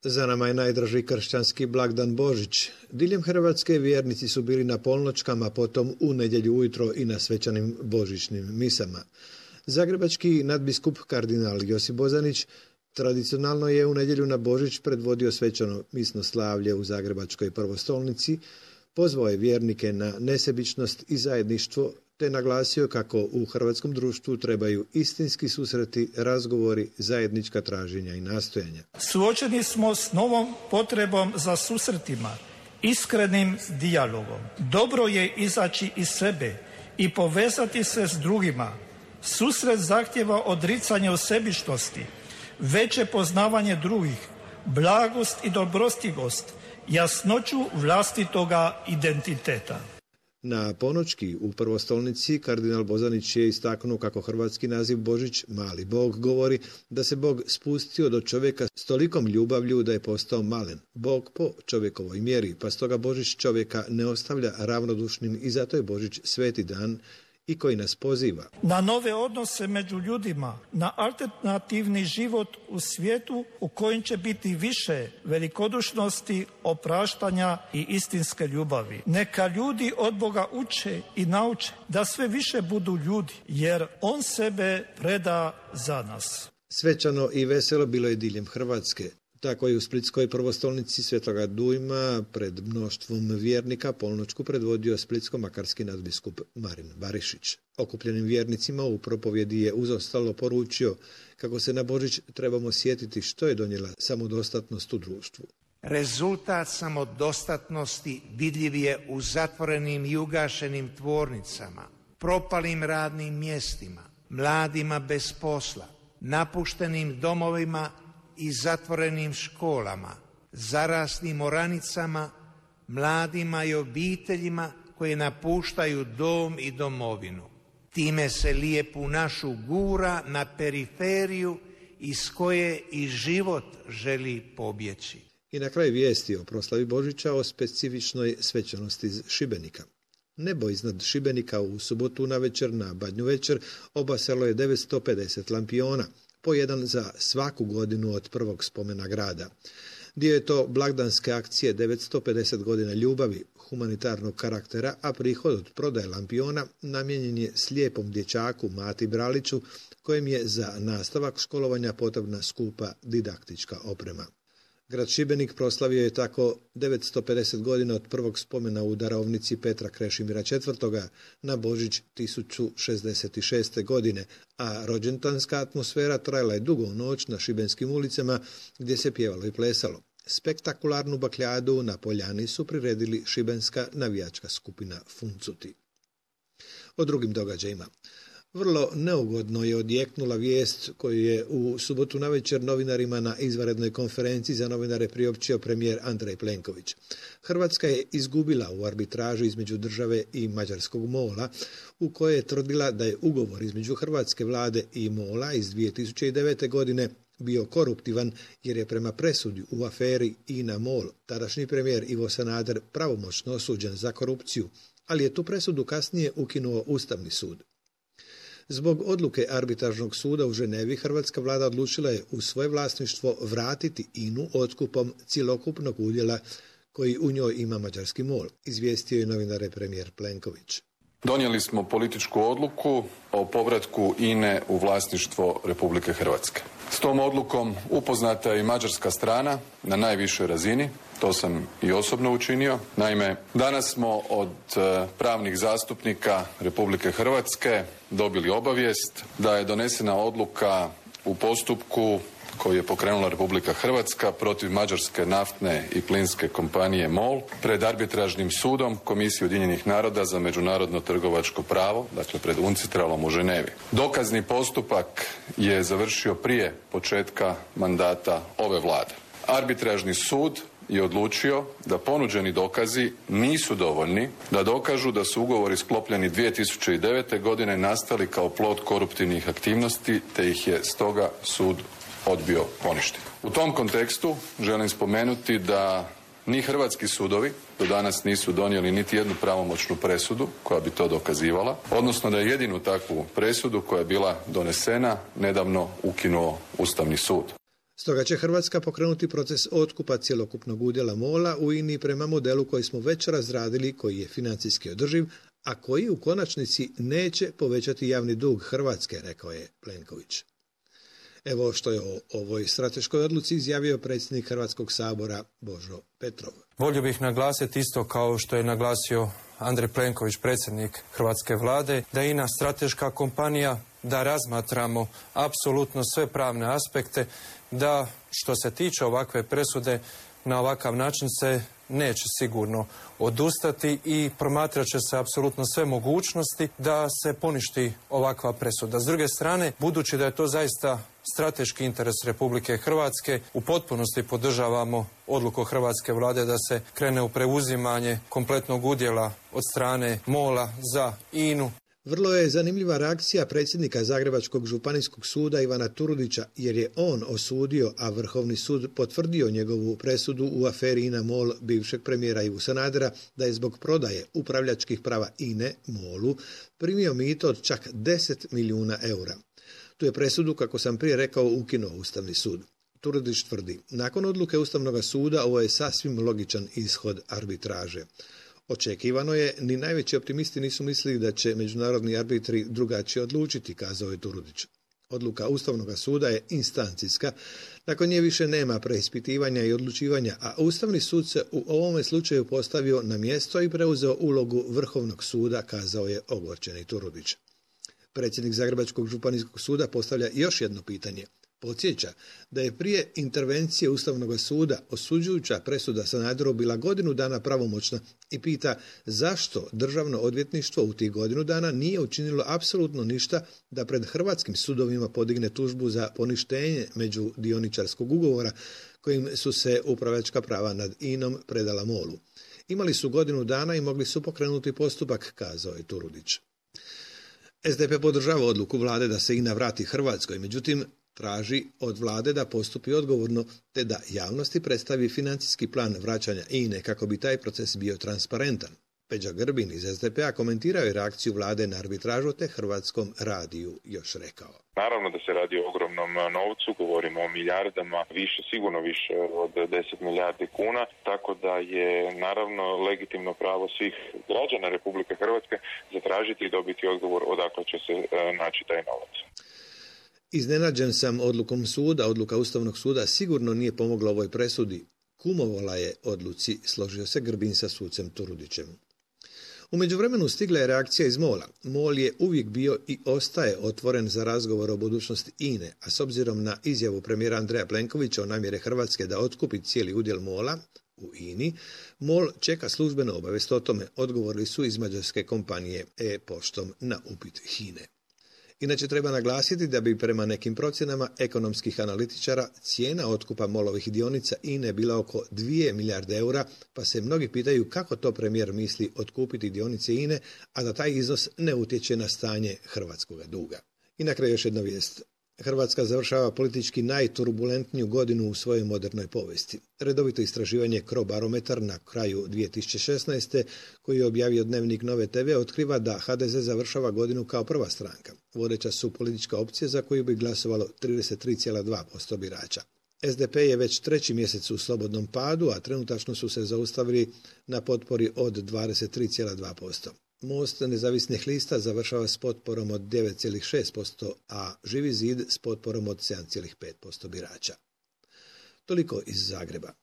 Za nama je najdraži kršćanski blagdan Božić. Diljem Hrvatske vjernici su bili na polnočkama, potom u nedjelju ujutro i na svečanim božićnim misama. Zagrebački nadbiskup kardinal Josip Bozanić tradicionalno je u nedjelju na Božić predvodio svečano misno slavlje u Zagrebačkoj prvostolnici, pozvao je vjernike na nesebičnost i zajedništvo, te naglasio kako u hrvatskom društvu trebaju istinski susreti, razgovori, zajednička traženja i nastojanja. Suočeni smo s novom potrebom za susretima, iskrenim dijalogom. Dobro je izaći iz sebe i povezati se s drugima. Susret zahtjeva odricanje od sebičnosti, veće poznavanje drugih, blagost i dobrostivost, jasnoću vlastitoga identiteta. Na ponoćki u prvostolnici kardinal Bozanić je istaknuo kako hrvatski naziv Božić, mali Bog, govori da se Bog spustio do čovjeka s tolikom ljubavlju da je postao malen. Bog po čovjekovoj mjeri, pa stoga Božić čovjeka ne ostavlja ravnodušnim i zato je Božić sveti dan i koji nas poziva na nove odnose među ljudima, na alternativni život u svijetu u kojem će biti više velikodušnosti, opraštanja i istinske ljubavi. Neka ljudi od Boga uče i nauče da sve više budu ljudi, jer On sebe preda za nas. Svečano i veselo bilo je diljem Hrvatske. Tako je u Splitskoj prvostolnici Svetoga Dujma pred mnoštvom vjernika polnoćku predvodio splitsko-makarski nadbiskup Marin Barišić. Okupljenim vjernicima u propovjedi je uzostalo poručio kako se na Božić trebamo sjetiti što je donijela samodostatnost u društvu. Rezultat samodostatnosti vidljiv je u zatvorenim i ugašenim tvornicama, propalim radnim mjestima, mladima bez posla, napuštenim domovima i zatvorenim školama, zaraslim oranicama, mladima i obiteljima koji napuštaju dom i domovinu. Time se lijepu našu gura na periferiju iz koje i život želi pobjeći. I na kraju vijesti o proslavi Božića o specifičnoj svečanosti iz Šibenika. Nebo iznad Šibenika u subotu navečer na Badnju večer obasjalo je 950 lampiona, po jedan za svaku godinu od prvog spomena grada. Dio je to blagdanske akcije 950 godina ljubavi, humanitarnog karaktera, a prihod od prodaje lampiona namijenjen je slijepom dječaku Mati Braliću, kojem je za nastavak školovanja potrebna skupa didaktička oprema. Grad Šibenik proslavio je tako 950 godina od prvog spomena u darovnici Petra Krešimira IV. Na Božić 1066. godine, a rođendanska atmosfera trajala je dugo noć na šibenskim ulicama gdje se pjevalo i plesalo. Spektakularnu bakljadu na Poljani su priredili šibenska navijačka skupina Funcuti. O drugim događajima. Vrlo neugodno je odjeknula vijest koju je u subotu navečer novinarima na izvanrednoj konferenciji za novinare priopćio premijer Andrej Plenković. Hrvatska je izgubila u arbitraži između države i mađarskog MOL-a, u kojoj je tvrdila da je ugovor između hrvatske vlade i MOL-a iz 2009. godine bio koruptivan jer je prema presudi u aferi INA-MOL tadašnji premijer Ivo Sanader pravomoćno osuđen za korupciju, ali je tu presudu kasnije ukinuo Ustavni sud. Zbog odluke arbitražnog suda u Ženevi, hrvatska vlada odlučila je u svoje vlasništvo vratiti INA-u otkupom cjelokupnog udjela koji u njoj ima mađarski MOL, izvijestio je novinare premijer Plenković. Donijeli smo političku odluku o povratku INA-e u vlasništvo Republike Hrvatske. S tom odlukom upoznata je i mađarska strana na najvišoj razini, to sam i osobno učinio. Naime, danas smo od pravnih zastupnika Republike Hrvatske dobili obavijest da je donesena odluka u postupku koji je pokrenula Republika Hrvatska protiv mađarske naftne i plinske kompanije MOL pred arbitražnim sudom Komisije Ujedinjenih naroda za međunarodno trgovačko pravo, dakle pred UNCITRAL-om u Ženevi. Dokazni postupak je završio prije početka mandata ove vlade. Arbitražni sud je odlučio da ponuđeni dokazi nisu dovoljni da dokažu da su ugovori sklopljeni 2009. godine nastali kao plod koruptivnih aktivnosti, te ih je stoga sud odbio poništiti. U tom kontekstu želim spomenuti da ni hrvatski sudovi do danas nisu donijeli niti jednu pravomoćnu presudu koja bi to dokazivala, odnosno da je jedinu takvu presudu koja je bila donesena nedavno ukinuo Ustavni sud. Stoga će Hrvatska pokrenuti proces otkupa cjelokupnog udjela MOL-a u INA-i prema modelu koji smo već razradili, koji je financijski održiv, a koji u konačnici neće povećati javni dug Hrvatske, rekao je Plenković. Evo što je o ovoj strateškoj odluci izjavio predsjednik Hrvatskog sabora Božo Petrov. Volio bih naglasiti isto kao što je naglasio Andrej Plenković, predsjednik Hrvatske vlade, da je INA strateška kompanija, da razmatramo apsolutno sve pravne aspekte, da što se tiče ovakve presude na ovakav način se neće sigurno odustati i promatrat će se apsolutno sve mogućnosti da se poništi ovakva presuda. S druge strane, budući da je to zaista strateški interes Republike Hrvatske, u potpunosti podržavamo odluku Hrvatske vlade da se krene u preuzimanje kompletnog udjela od strane MOL-a za INA-u. Vrlo je zanimljiva reakcija predsjednika Zagrebačkog županijskog suda Ivana Turudića, jer je on osudio, a Vrhovni sud potvrdio njegovu presudu u aferi INA-MOL bivšeg premijera Ivu Sanadera, da je zbog prodaje upravljačkih prava INA-e MOL-u primio mito od čak 10 milijuna eura. Tu je presudu, kako sam prije rekao, ukinuo Ustavni sud. Turudić tvrdi, nakon odluke Ustavnog suda ovo je sasvim logičan ishod arbitraže. Očekivano je, ni najveći optimisti nisu mislili da će međunarodni arbitri drugačije odlučiti, kazao je Turudić. Odluka Ustavnog suda je instancijska, nakon nje više nema preispitivanja i odlučivanja, a Ustavni sud se u ovome slučaju postavio na mjesto i preuzeo ulogu Vrhovnog suda, kazao je ogorčeni Turudić. Predsjednik Zagrebačkog županijskog suda postavlja još jedno pitanje. Podsjeća da je prije intervencije Ustavnog suda osuđujuća presuda Sanaderu bila godinu dana pravomoćna i pita zašto Državno odvjetništvo u tih godinu dana nije učinilo apsolutno ništa da pred hrvatskim sudovima podigne tužbu za poništenje međudioničarskog ugovora kojim su se upravljačka prava nad INA-om predala MOL-u. Imali su godinu dana i mogli su pokrenuti postupak, kazao je Turudić. SDP podržava odluku vlade da se INA vrati Hrvatskoj, međutim traži od vlade da postupi odgovorno te da javnosti predstavi financijski plan vraćanja INA-e kako bi taj proces bio transparentan. Peđa Grbin iz SDP-a komentirao je reakciju vlade na arbitražu te Hrvatskom radiju još rekao. Naravno da se radi o ogromnom novcu, govorimo o milijardama, sigurno više od 10 milijardi kuna, tako da je naravno legitimno pravo svih građana Republike Hrvatske zatražiti i dobiti odgovor odakle će se naći taj novac. Iznenađen sam odlukom suda, odluka Ustavnog suda sigurno nije pomogla ovoj presudi. Kumovala je odluci, složio se Grbin sa sucem Turudićem. U međuvremenu stigla je reakcija iz MOL-a. MOL je uvijek bio i ostaje otvoren za razgovor o budućnosti INA-e, a s obzirom na izjavu premijera Andreja Plenkovića o namjere Hrvatske da otkupi cijeli udjel MOL-a u INA-i, MOL čeka službenu obavijest o tome, odgovorili su iz mađarske kompanije E-poštom na upit HINA-e. Inače treba naglasiti da bi prema nekim procjenama ekonomskih analitičara cijena otkupa MOL-ovih dionica INA-e bila oko 2 milijarde eura, pa se mnogi pitaju kako to premijer misli otkupiti dionice INA-e, a da taj iznos ne utječe na stanje hrvatskog duga. I na kraju još jedna vijest. Hrvatska završava politički najturbulentniju godinu u svojoj modernoj povijesti. Redovito istraživanje Crobarometar na kraju 2016. koji je objavio Dnevnik Nove TV otkriva da HDZ završava godinu kao prva stranka. Vodeća su politička opcija za koju bi glasovalo 33,2% birača. SDP je već treći mjesec u slobodnom padu, a trenutačno su se zaustavili na potpori od 23,2%. Most nezavisnih lista završava s potporom od 9,6%, a Živi zid s potporom od 7,5% birača. Toliko iz Zagreba.